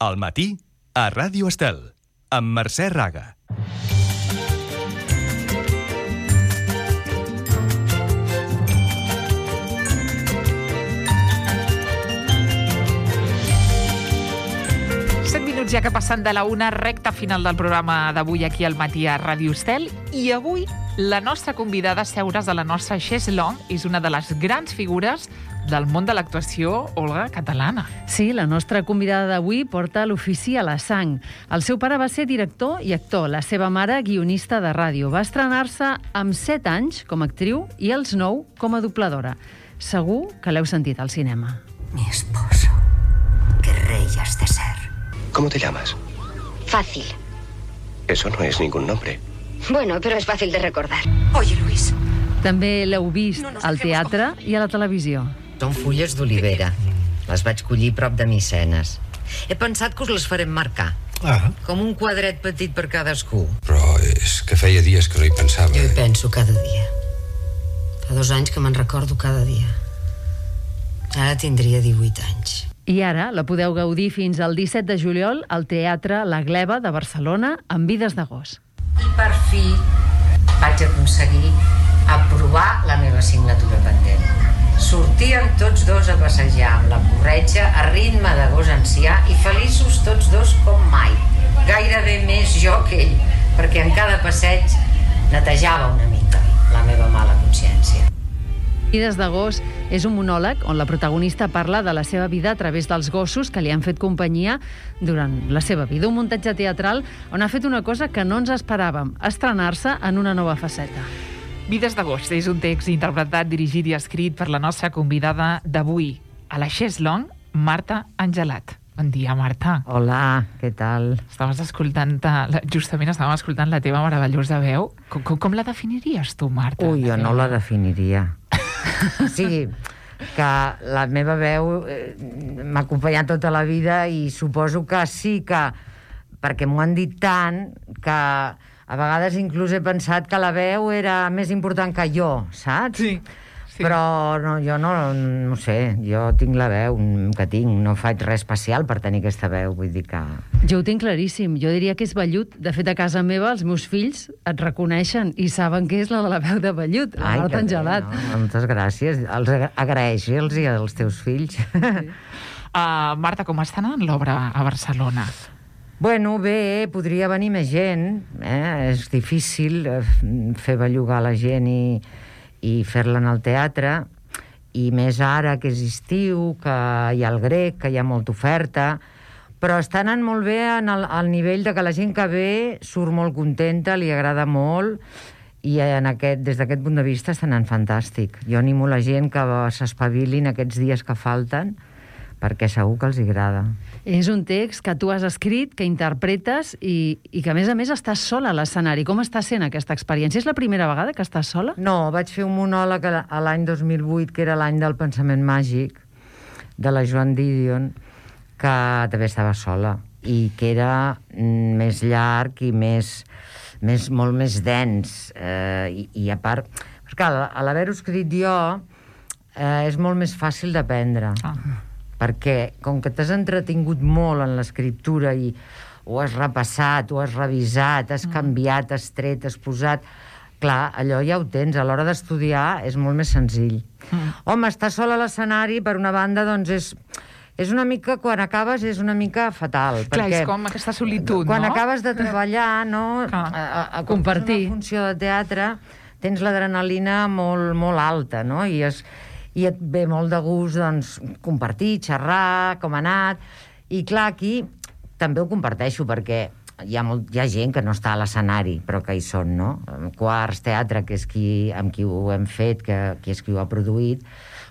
Al matí, a Ràdio Estel, amb Mercè Raga. Ja que passant de la una, recta final del programa d'avui aquí al matí a Ràdio Estel. I avui la nostra convidada a seure's a la nostra chaise longue és una de les grans figures del món de l'actuació, Olga, catalana. Sí, la nostra convidada d'avui porta l'ofici a la sang. El seu pare va ser director i actor, la seva mare guionista de ràdio. Va estrenar-se amb 7 anys com a actriu i als 9 com a dobladora. Segur que l'heu sentit al cinema. Mi esposo, qué rey has de ser. ¿Cómo te llamas? Fácil. Eso no es ningún nombre. Bueno, pero es fácil de recordar. Oye, Luis. També l'heu vist al teatre i a la televisió. Són fulles d'olivera. Les vaig collir prop de Micenes. He pensat que us les farem marcar. Com un quadret petit per cadascú. Però és que feia dies que no hi pensava. Jo hi penso cada dia. Fa 2 anys que me'n recordo cada dia. Ara tindria 18 anys. I ara la podeu gaudir fins al 17 de juliol al Teatre La Gleva de Barcelona amb Vides de gos. I per fi vaig aconseguir aprovar la meva assignatura pendent. Sortíem tots dos a passejar amb la corretja a ritme de gos ancià i feliços tots dos com mai. Gairebé més jo que ell, perquè en cada passeig netejava una mica la meva mala consciència. Vides de gos és un monòleg on la protagonista parla de la seva vida a través dels gossos que li han fet companyia durant la seva vida. Un muntatge teatral on ha fet una cosa que no ens esperàvem, estrenar-se en una nova faceta. Vides de gos és un text interpretat, dirigit i escrit per la nostra convidada d'avui, a la chaise longue, Marta Angelat. Bon dia, Marta. Hola, què tal? Justament estàvem escoltant la teva meravellosa veu. Com la definiries tu, Marta? Ui, jo no la definiria. Sí, que la meva veu m'ha acompanyat tota la vida i suposo que sí que, perquè m'ho han dit tant, que a vegades inclús he pensat que la veu era més important que jo, saps? Sí. Però no, jo no sé, jo tinc la veu que tinc, no faig res especial per tenir aquesta veu, vull dir que... Jo ho tinc claríssim, jo diria que és vellut. De fet, a casa meva els meus fills et reconeixen i saben que és la de la veu de vellut, la Marta Angelat. No, moltes gràcies, agraeixi-los i als teus fills. Sí. Marta, com està anant l'obra a Barcelona? Bueno, bé, podria venir més gent, és difícil fer bellugar la gent i fer-la en el teatre, i més ara que és estiu, que hi ha el grec, que hi ha molta oferta, però està anant molt bé al nivell de que la gent que ve surt molt contenta, li agrada molt, i des d'aquest punt de vista està anant fantàstic. Jo animo la gent que s'espavilin aquests dies que falten, perquè segur que els agrada. És un text que tu has escrit, que interpretes i que, a més, estàs sola a l'escenari. Com està sent aquesta experiència? És la primera vegada que estàs sola? No, vaig fer un monòleg a l'any 2008, que era l'any del pensament màgic, de la Joan Didion, que també estava sola, i que era més llarg i molt més dens. I a part, perquè a l'haver-ho escrit jo, és molt més fàcil d'aprendre. Perquè, com que t'has entretingut molt en l'escriptura i ho has repassat, ho has revisat, has canviat, has tret, has posat... Clar, allò ja ho tens, a l'hora d'estudiar és molt més senzill. Home, estar sol a l'escenari, per una banda, doncs és una mica, quan acabes, és una mica fatal. Clar, és com aquesta solitud, quan no? Quan acabes de treballar, no? A compartir una funció de teatre, tens l'adrenalina molt, molt alta, no? I et ve molt de gust, doncs, compartir, xerrar, com ha anat. I clar, aquí també ho comparteixo, perquè hi ha gent que no està a l'escenari, però que hi són, no? Quarts Teatre, que és amb qui ho hem fet, que és qui ho ha produït,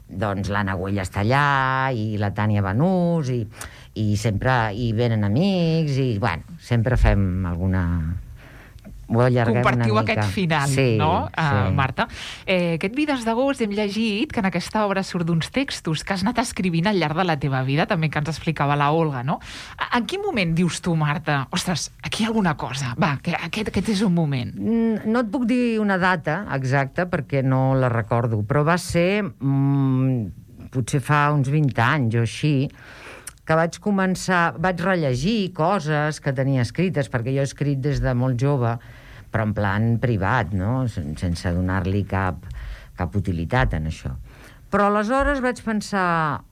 doncs l'Anna Güell està allà, i la Tània Banús, i sempre hi venen amics, i, bueno, sempre fem alguna... Compartiu aquest final, sí, no, sí. Marta? Aquest Vides de gos hem llegit que en aquesta obra surt d'uns textos que has anat escrivint al llarg de la teva vida, també que ens explicava la Olga, no? En quin moment dius tu, Marta, ostres, aquí hi ha alguna cosa, va, que aquest és un moment? No et puc dir una data exacta perquè no la recordo, però va ser, potser fa uns 20 anys o així, que vaig rellegir coses que tenia escrites, perquè jo he escrit des de molt jove, però en plan privat, no? Sense donar-li cap utilitat en això. Però aleshores vaig pensar,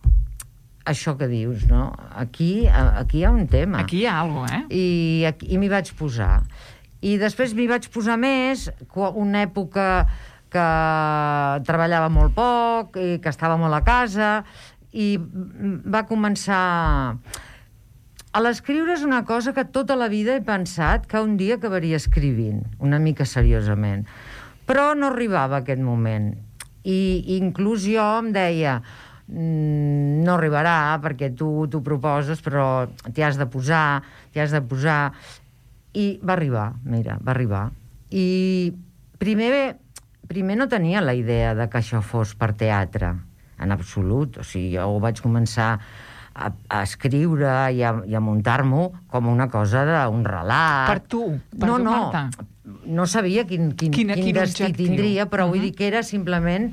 això que dius, no? Aquí hi ha un tema. Aquí hi ha alguna cosa, I m'hi vaig posar. I després m'hi vaig posar més, una època que treballava molt poc, i que estava molt a casa, i va començar... A l'escriure és una cosa que tota la vida he pensat que un dia acabaria escrivint, una mica seriosament. Però no arribava a aquest moment. I inclús jo em deia, no arribarà perquè tu t'ho proposes, però t'hi has de posar. I va arribar, mira, va arribar. I primer no tenia la idea de que això fos per teatre, en absolut. O sigui, jo ho vaig començar a escriure i a muntar-m'ho com una cosa d'un relat. Per tu, Marta. No sabia quin destí tindria, però vull dir que era simplement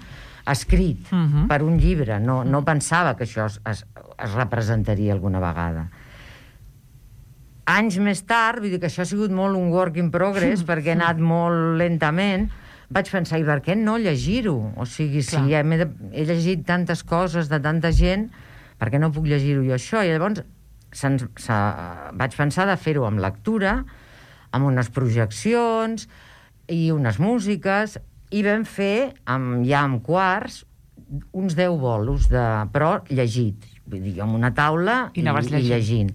escrit per un llibre. No pensava que això es representaria alguna vegada. Anys més tard, vull dir que això ha sigut molt un work in progress, perquè he anat molt lentament, vaig pensar, i per què no llegir-ho? O sigui, si he llegit tantes coses de tanta gent, per què no puc llegir-ho jo això? I llavors vaig pensar de fer-ho amb lectura, amb unes projeccions i unes músiques, i vam fer, ja amb quarts, uns 10 bolos, però llegit. Vull dir, amb una taula i llegint.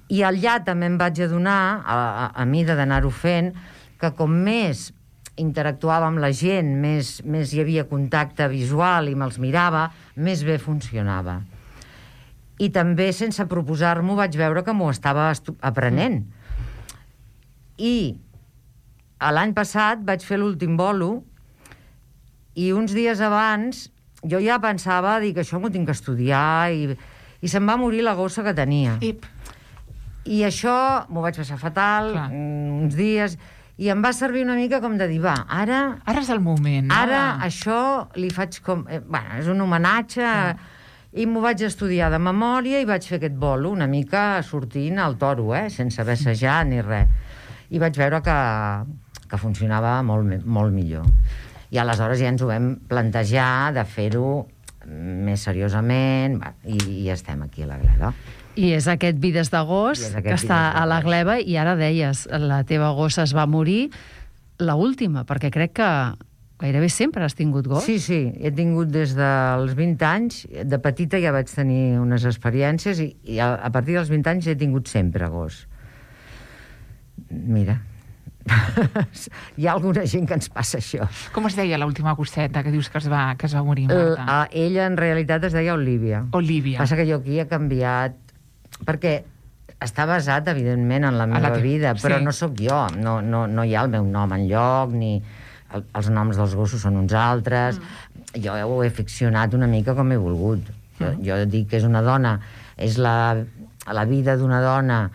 I allà també em vaig adonar, a mida d'anar-ho fent, que com més interactuava amb la gent, més hi havia contacte visual i me'ls mirava, més bé funcionava. I també, sense proposar-m'ho, vaig veure que m'ho estava aprenent. I l'any passat vaig fer l'últim bolo i uns dies abans jo ja pensava dir que això m'ho tinc que estudiar i se'm va morir la gossa que tenia. I això m'ho vaig passar fatal, uns dies, i em va servir una mica com de dir, va, ara... Ara és el moment, no? Ara això li faig com... Bueno, és un homenatge... I m'ho vaig estudiar de memòria i vaig fer aquest bolo una mica sortint al toro, sense haver assajat ni res. I vaig veure que funcionava molt millor. I aleshores ja ens ho vam plantejar de fer-ho més seriosament i estem aquí a la Gleva. I és aquest Vides d'agost que està a la Gleva, i ara deies, la teva gossa es va morir, l'última, perquè crec que gairebé sempre has tingut gos. Sí, he tingut des dels 20 anys. De petita ja vaig tenir unes experiències i a partir dels 20 anys he tingut sempre gos. Mira, hi ha alguna gent que ens passa això. Com es deia l'última gosseta que dius que es va morir, Marta? Ella en realitat es deia Olívia. Olívia. Passa que jo aquí he canviat, perquè està basat, evidentment, en la meva vida, però no sóc jo, no hi ha el meu nom enlloc, ni... Els noms dels gossos són uns altres. Jo ho he ficcionat una mica com he volgut. Jo dic que és una dona, és la vida d'una dona,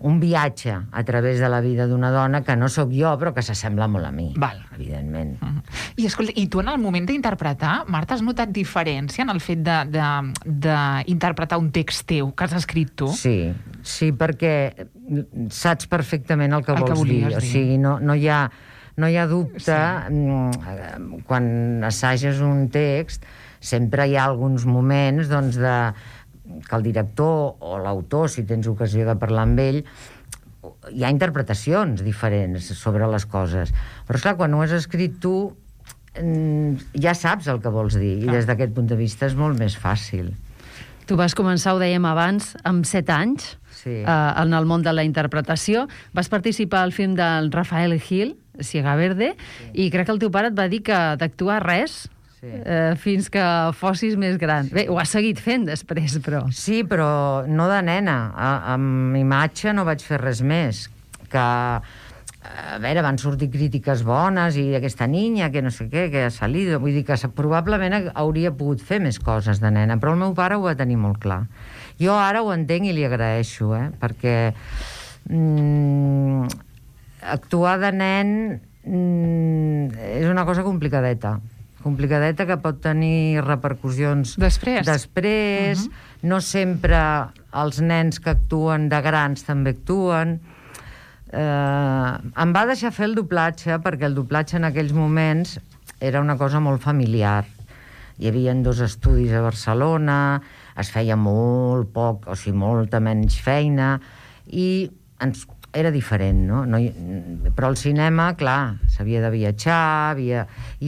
un viatge a través de la vida d'una dona que no sóc jo, però que s'assembla molt a mi, evidentment. I escolta, i tu en el moment d'interpretar, Marta, has notat diferència en el fet d'interpretar un text teu que has escrit tu? Sí, perquè saps perfectament el que vols dir. O sigui, no hi ha dubte, quan assages un text, sempre hi ha alguns moments que el director o l'autor, si tens ocasió de parlar amb ell, hi ha interpretacions diferents sobre les coses. Però, esclar, quan ho has escrit tu, ja saps el que vols dir, i des d'aquest punt de vista és molt més fàcil. Tu vas començar, ho dèiem abans, amb 7 anys, en el món de la interpretació. Vas participar al film del Rafael Gil, Ciega Verde, i crec que el teu pare et va dir que d'actuar res fins que fossis més gran. Bé, ho has seguit fent després, però... Sí, però no de nena. Amb imatge no vaig fer res més. Que, a veure, van sortir crítiques bones i aquesta niña, que no sé què, que ha salido. Vull dir que probablement hauria pogut fer més coses de nena, però el meu pare ho va tenir molt clar. Jo ara ho entenc i li agraeixo, perquè actuar de nen és una cosa complicadeta. complicadeta, que pot tenir repercussions després. No sempre els nens que actuen de grans també actuen. Em va deixar fer el doblatge, perquè el doblatge en aquells moments era una cosa molt familiar. Hi havia 2 estudis a Barcelona, es feia molt poc, o sigui, molta menys feina, i era diferent, no? Però al cinema, clar, s'havia de viatjar, i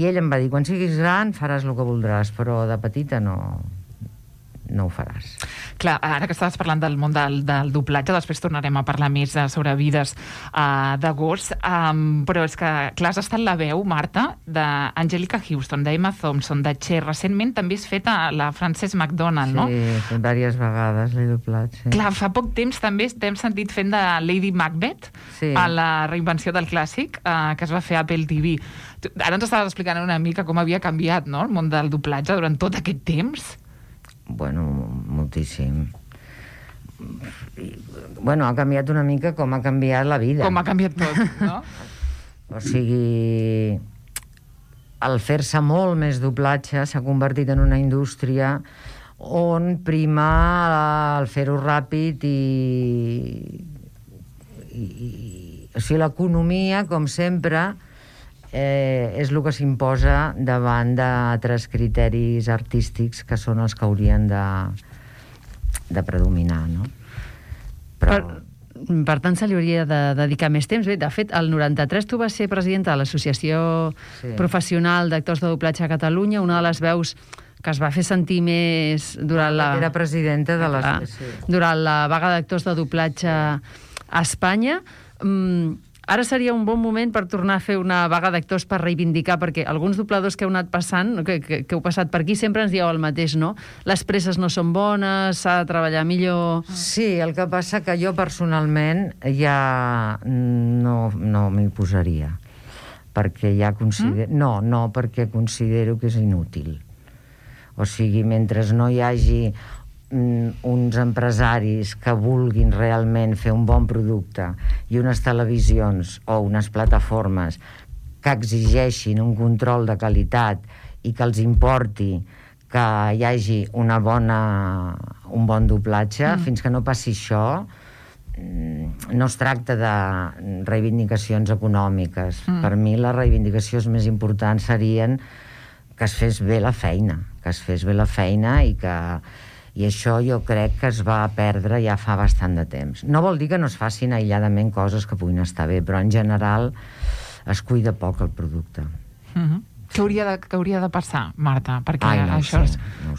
ell em va dir, quan siguis gran faràs el que voldràs, però de petita no ho faràs. Clar, ara que estaves parlant del món del doblatge, després tornarem a parlar més sobre Vides de gos, però és que, clar, has estat la veu, Marta, d'Angelica Houston, d'Emma Thompson, de Cher. Recentment també has fet la Frances McDormand, no? Sí, diverses vegades l'he doblat, sí. Clar, fa poc temps també t'hem sentit fent de Lady Macbeth, a la reinvenció del clàssic, que es va fer a Apple TV. Ara ens estaves explicant una mica com havia canviat, no?, el món del doblatge durant tot aquest temps. Bueno, moltíssim. Bueno, ha canviat una mica com ha canviat la vida. Com ha canviat tot, no? O sigui, al fer-se molt més doblatge s'ha convertit en una indústria on prima el fer-ho ràpid o sigui, l'economia, com sempre, és el que s'imposa davant d'altres criteris artístics que són els que haurien de predominar, no? Per tant, se li hauria de dedicar més temps. Bé, de fet, el 93 tu vas ser presidenta de l'Associació Professional d'Actors de Doblatge a Catalunya, una de les veus que es va fer sentir més durant Era presidenta de durant la vaga d'actors de doblatge a Espanya. Ara seria un bon moment per tornar a fer una vaga d'actors per reivindicar, perquè alguns dobladors que heu anat passant, que heu passat per aquí, sempre ens dieu el mateix, no? Les presses no són bones, s'ha de treballar millor... Sí, el que passa que jo personalment ja no m'hi posaria, perquè ja considero... No, perquè considero que és inútil. O sigui, mentre no hi hagi uns empresaris que vulguin realment fer un bon producte i unes televisions o unes plataformes que exigeixin un control de qualitat i que els importi que hi hagi un bon doblatge, fins que no passi això, no es tracta de reivindicacions econòmiques. Per mi les reivindicacions més importants serien que es fes bé la feina, i això jo crec que es va perdre ja fa bastant de temps. No vol dir que no es facin aïlladament coses que puguin estar bé, però en general es cuida poc el producte. Què hauria de passar, Marta, perquè això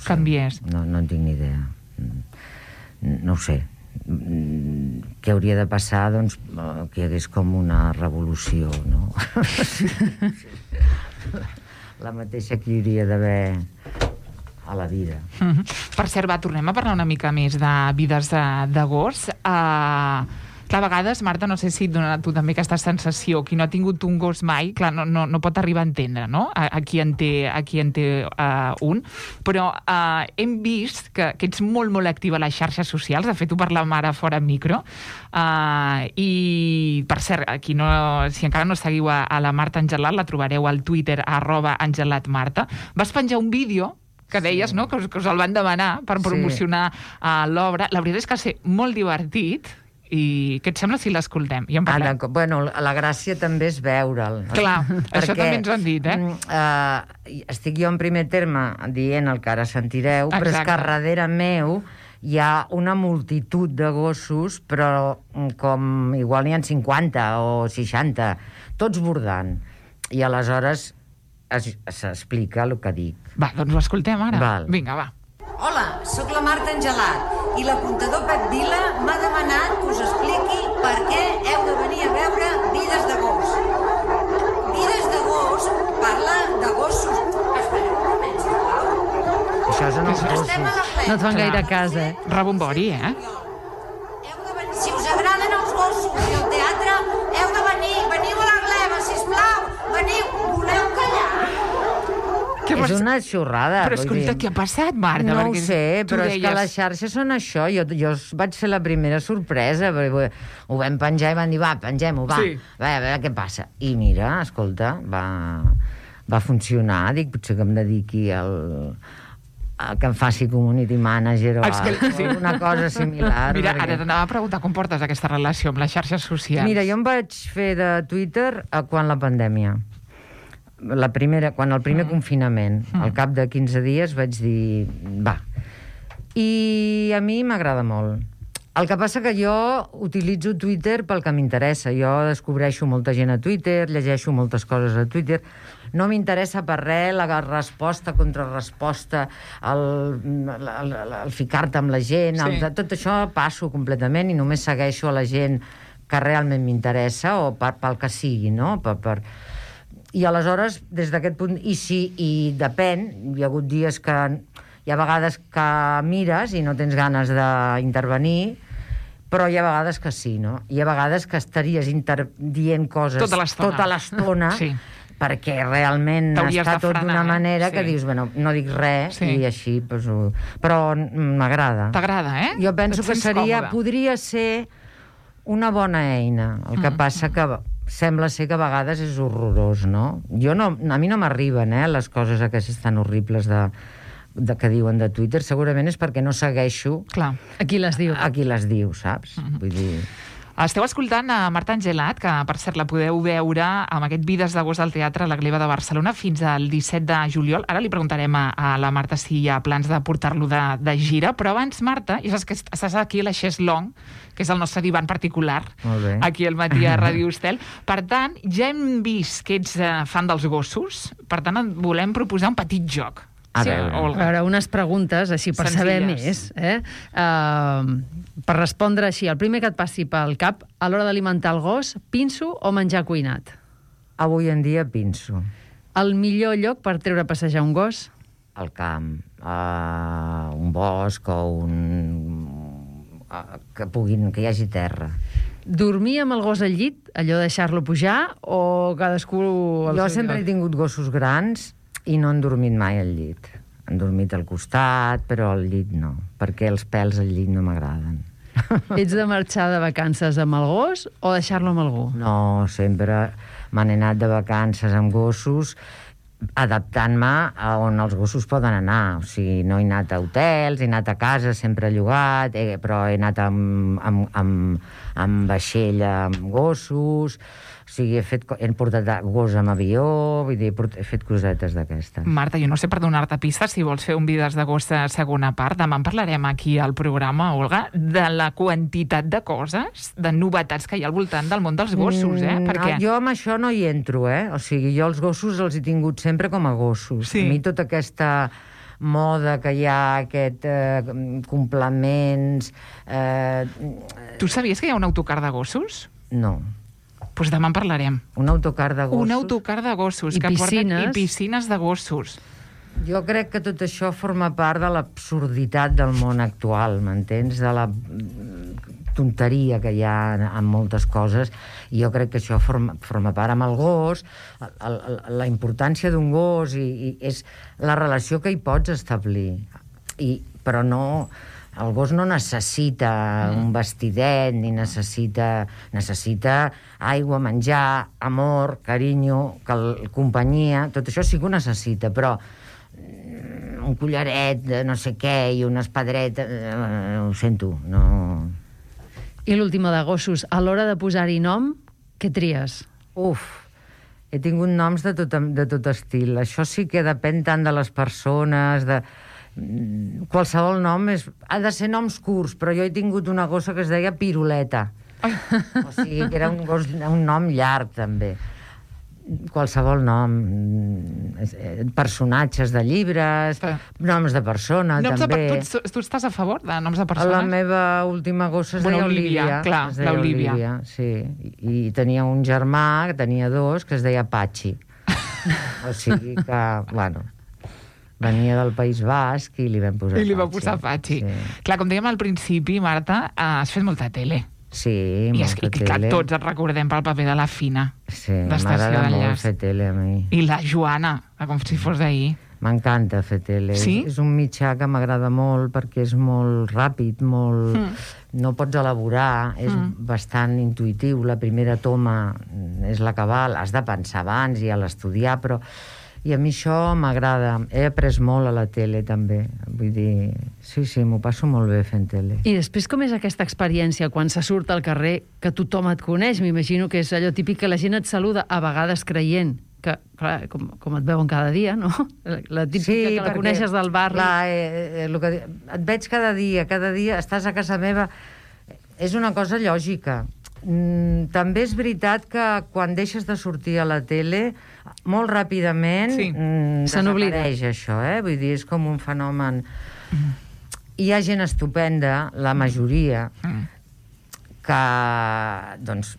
canviés? No en tinc ni idea. No ho sé. Què hauria de passar? Doncs que hi hagués com una revolució, no? La mateixa que hi hauria d'haver a la vida. Per cert, tornem a parlar una mica més de Vides de gos. Clar, a vegades, Marta, no sé si et dona tu també aquesta sensació, qui no ha tingut un gos mai, clar, no pot arribar a entendre, no?, a qui en té un, però hem vist que ets molt, molt activa a les xarxes socials, de fet ho parlàvem ara fora micro, i, per cert, si encara no seguiu a la Marta Angelat, la trobareu al Twitter @angelatmarta. Vas penjar un vídeo que deies, no?, que us el van demanar per promocionar l'obra. La veritat és que va ser molt divertit. I què et sembla si l'escoltem? I en parlem. Bueno, la gràcia també és veure'l. Clar, això també ens ho han dit, estic jo en primer terme dient el que ara sentireu, però és que darrere meu hi ha una multitud de gossos, però com igual n'hi ha 50 o 60, tots bordant. I aleshores s'explica el que dic. Va, doncs ho escoltem ara. Vinga, va. Hola, sóc la Marta Angelat i l'apuntador Pep Vila m'ha demanat que us expliqui per què heu de venir a veure Vides de gos. Vides de gos parla de gossos. Espereu un moment, sisplau. Això són els gossos. No et fan gaire cas, Rebombori, Si us agraden els gossos i el teatre, heu de venir. Veniu a la gleba, sisplau. Veniu. Voleu callar? És una xorrada. Però escolta, què ha passat, Marta? No ho sé, però és que les xarxes són això. Jo vaig ser la primera sorpresa. Ho vam penjar i van dir, va, pengem-ho, va. A veure què passa. I mira, escolta, va va funcionar. Dic, potser que em dediqui que em faci community manager o alguna cosa similar. Mira, ara t'anava a preguntar com portes aquesta relació amb les xarxes socials. Mira, jo em vaig fer de Twitter quan la pandèmia. Quan el primer confinament. Al cap de 15 dies vaig dir, va. I a mi m'agrada molt. El que passa que jo utilitzo Twitter pel que m'interessa. Jo descobreixo molta gent a Twitter, llegeixo moltes coses a Twitter. No m'interessa per res la resposta, contrarresposta, el ficar-te amb la gent, tot això passo completament i només segueixo a la gent que realment m'interessa o pel que sigui, no? I aleshores, des d'aquest punt, i depèn, hi ha hagut dies que hi ha vegades que mires i no tens ganes d'intervenir, però hi ha vegades que sí, no? Hi ha vegades que estaries dient coses tota l'estona sí. Perquè realment està tot d'una manera que dius, bueno, no dic res i així, però m'agrada. T'agrada, eh? Jo penso que podria ser una bona eina. El que passa que sembla ser que a vegades és horrorós, no? A mi no m'arriben, les coses aquestes tan horribles que diuen de Twitter, segurament és perquè no segueixo a qui les diu, saps? Vull dir... Esteu escoltant a Marta Angelat, que per cert la podeu veure amb aquest Vides d'agost al Teatre La Gleva de Barcelona fins al 17 de juliol. Ara li preguntarem a la Marta si hi ha plans de portar-lo de gira, però abans, Marta, ja saps que estàs aquí a la Xés Long, que és el nostre divan particular, aquí al matí a Ràdio Estel. Per tant, ja hem vist que ets fan dels gossos, per tant, et volem proposar un petit joc. A veure, unes preguntes, així per saber més. Per respondre així, el primer que et passi pel cap, a l'hora d'alimentar el gos, pinso o menjar cuinat? Avui en dia pinso. El millor lloc per treure a passejar un gos? Al camp, un bosc o que hi hagi terra. Dormir amb el gos al llit, allò de deixar-lo pujar, o cadascú... Jo sempre he tingut gossos grans i no han dormit mai al llit. Han dormit al costat, però al llit no, perquè els pèls al llit no m'agraden. Ets de marxar de vacances amb el gos o deixar-lo amb algú? No, sempre me n'he anat de vacances amb gossos, adaptant-me a on els gossos poden anar. O sigui, no he anat a hotels, he anat a casa, sempre llogat, però he anat amb vaixell amb gossos... O sigui, he portat gos amb avió, vull dir, he fet cosetes d'aquestes. Marta, jo no sé per donar-te pistes si vols fer un Vides d'agost a segona part. Demà en parlarem aquí al programa, Olga, de la quantitat de coses, de novetats que hi ha al voltant del món dels gossos, Perquè... Jo amb això no hi entro, O sigui, jo els gossos els he tingut sempre com a gossos. Sí. A mi tota aquesta moda que hi ha, complements... Tu sabies que hi ha un autocar de gossos? No. Doncs demà en parlarem. Un autocar de gossos? Un autocar de gossos. I piscines. I piscines de gossos. Jo crec que tot això forma part de l'absurditat del món actual, m'entens? De la tonteria que hi ha en moltes coses. I jo crec que això forma part amb el gos, la importància d'un gos i és la relació que hi pots establir. Però no... El gos no necessita un vestidet, ni necessita aigua, menjar, amor, carinyo, companyia, tot això sí que ho necessita, però un collaret de no sé què i una espedreta, ho sento, no... I l'última de gossos, a l'hora de posar-hi nom, què tries? He tingut noms de tot estil. Això sí que depèn tant de les persones, qualsevol nom ha de ser noms curts, però jo he tingut una gossa que es deia Piruleta. O sigui, que era un nom llarg, també. Qualsevol nom. Personatges de llibres, noms de persona, també. Tu estàs a favor de noms de persones? La meva última gossa es deia Olivia. Clar, l'Olivia. Sí, i tenia un germà, que tenia dos, que es deia Patxi. O sigui que, bueno... Venia del País Basc i li vam posar Patxi. I li va posar Patxi. Sí. Clar, com dèiem al principi, Marta, has fet molta tele. Sí, molta tele. I que tots et recordem pel paper de la Fina. Sí, m'agrada molt fer tele a mi. I la Joana, com si fos d'ahir. M'encanta fer tele. Sí? És un mitjà que m'agrada molt perquè és molt ràpid, molt... No pots elaborar, és bastant intuïtiu. La primera toma és la que val. Has de pensar abans i a l'estudiar, però I a mi això m'agrada. He après molt a la tele, també. Vull dir, sí, m'ho passo molt bé fent tele. I després, com és aquesta experiència quan se surt al carrer, que tothom et coneix? M'imagino que és allò típic que la gent et saluda, a vegades creient que, clar, com et veuen cada dia, no? La típica que la coneixes del barri. Clar, et veig cada dia, estàs a casa meva. És una cosa lògica. També és veritat que quan deixes de sortir a la tele, molt ràpidament desapareix això, Vull dir, és com un fenomen. Hi ha gent estupenda, la majoria, que, doncs,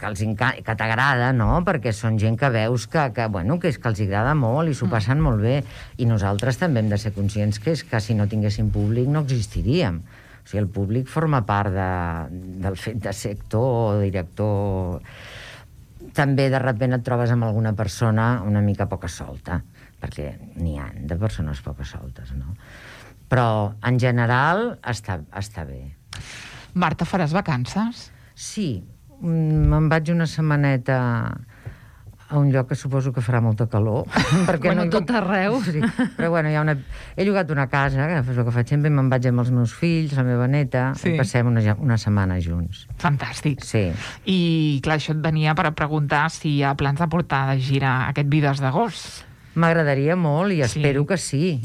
que t'agrada, no? Perquè són gent que veus que els agrada molt i s'ho passen molt bé. I nosaltres també hem de ser conscients que és que si no tinguéssim públic no existiríem. O sigui, el públic forma part del fet de ser actor o director. També de sobte et trobes amb alguna persona una mica poca solta, perquè n'hi ha de persones poca soltes, no? Però en general està bé. Marta, faràs vacances? Sí. Me'n vaig una setmaneta a un lloc que suposo que farà molta calor. Bueno, tot arreu. Sí. Però bueno, he llogat una casa, que és el que faig sempre, i me'n vaig amb els meus fills, la meva neta, i passem una setmana junts. Fantàstic. Sí. I, clar, això et venia per preguntar si hi ha plans de portar de gira aquest Vides d'agost. M'agradaria molt i espero que sí.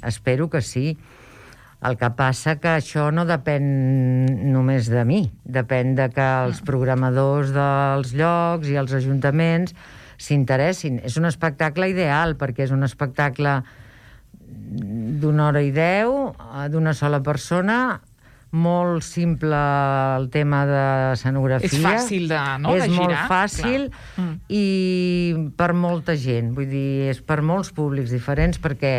El que passa que això no depèn només de mi. Depèn de que els programadors dels llocs i els ajuntaments s'interessin. És un espectacle ideal, perquè és un espectacle d'1 hora i 10, d'una sola persona, molt simple el tema de escenografia. És fàcil de girar. És molt fàcil i per molta gent. Vull dir, és per molts públics diferents, perquè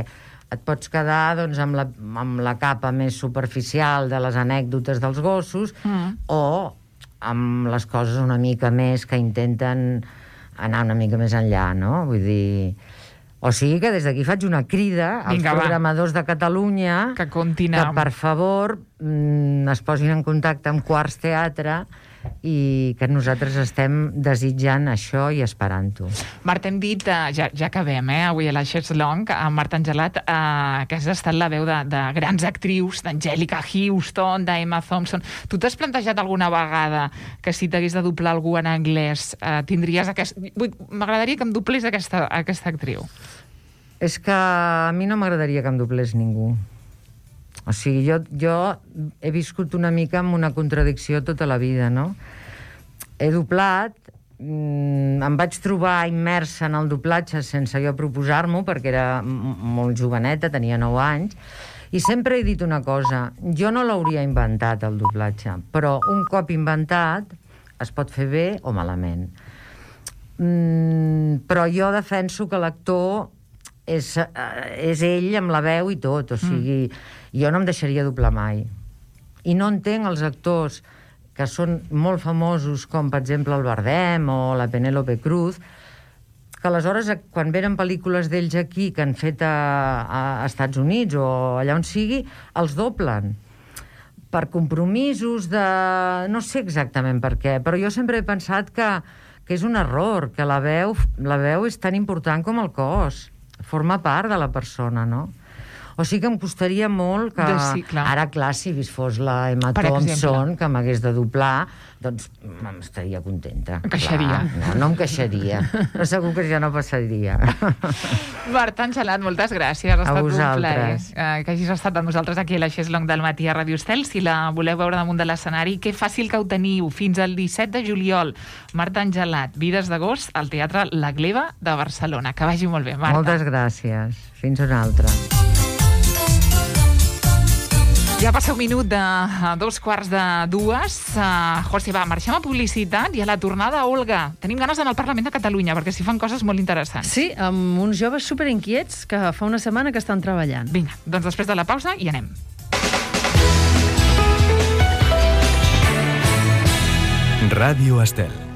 et pots quedar amb la capa més superficial de les anècdotes dels gossos o amb les coses una mica més que intenten anar una mica més enllà, no? Vull dir... O sigui que des d'aquí faig una crida als programadors de Catalunya que per favor es posin en contacte amb Quarts Teatre i que nosaltres estem desitjant això i esperant-ho. Marta, hem dit, ja acabem, avui a la Cheslong, amb Marta Angelat, que has estat la veu de grans actrius, d'Angelica Houston, d'Emma Thompson. Tu t'has plantejat alguna vegada que si t'hagués de doblar algú en anglès tindries aquest... M'agradaria que em doblés aquesta actriu. És que a mi no m'agradaria que em doblés ningú. O sigui, jo he viscut una mica amb una contradicció tota la vida, no? He doblat, em vaig trobar immersa en el doblatge sense jo proposar-m'ho, perquè era molt joveneta, tenia 9 anys, i sempre he dit una cosa, jo no l'hauria inventat, el doblatge, però un cop inventat es pot fer bé o malament. Però jo defenso que l'actor és ell amb la veu i tot, o sigui, jo no em deixaria doblar mai. I no entenc els actors que són molt famosos, com per exemple el Bardem o la Penélope Cruz, que aleshores, quan venen pel·lícules d'ells aquí que han fet a Estats Units o allà on sigui, els doblen per compromisos de... no sé exactament per què, però jo sempre he pensat que és un error, que la veu és tan important com el cos. Forma part de la persona, no? O sigui que em costaria molt que... Sí, clar. Ara, clar, si fos la Emma Thompson, que m'hagués de doblar, doncs estaria contenta. Em queixaria. No em queixaria. Però segur que ja no passaria. Marta Angelat, moltes gràcies. Ha estat un plaer que hagis estat amb nosaltres aquí a la Cheslong del matí a Ràdio Estel. Si la voleu veure damunt de l'escenari, que fàcil que ho teniu. Fins al 17 de juliol. Marta Angelat, Vides d'agost, al Teatre La Gleva de Barcelona. Que vagi molt bé, Marta. Moltes gràcies. Fins una altra. Ja passa un minut de 2:45. José, va, marxem a publicitat i a la tornada, Olga. Tenim ganes d'anar al Parlament de Catalunya, perquè s'hi fan coses molt interessants. Sí, amb uns joves superinquiets que fa una setmana que estan treballant. Vinga, doncs després de la pausa hi anem. Ràdio Estel.